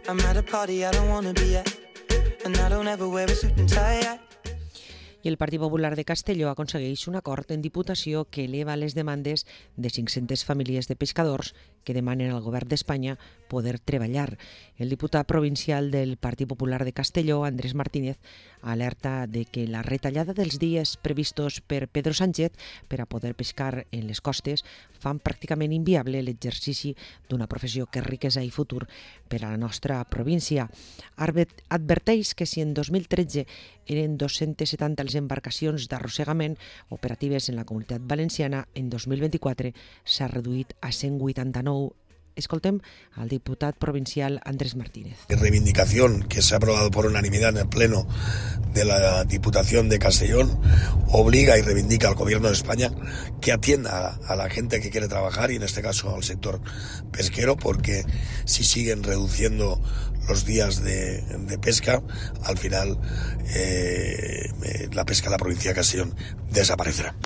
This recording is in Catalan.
I'm at a party I don't wanna be at, and I don't ever wear a suit and tie. I el Partit Popular de Castelló aconsegueix un acord en Diputació que eleva les demandes de 500 famílies de pescadors que demanen al govern d'Espanya poder treballar. El diputat provincial del Partit Popular de Castelló, Andrés Martínez, alerta de que la retallada dels dies previstos per Pedro Sánchez per a poder pescar en les costes fan pràcticament inviable l'exercici d'una professió que és riquesa i futur per a la nostra província. Adverteix que si en 2013 eren 270 les embarcacions d'arrossegament operatives en la Comunitat Valenciana, en 2024 s'ha reduït a 189. Escoltem al diputat provincial Andrés Martínez. Reivindicación que se ha aprobado por unanimidad en el Pleno de la Diputación de Castellón obliga y reivindica al Gobierno de España que atienda a la gente que quiere trabajar y en este caso al sector pesquero, porque si siguen reduciendo los días de pesca, al final la pesca en la provincia de Castellón desaparecerá.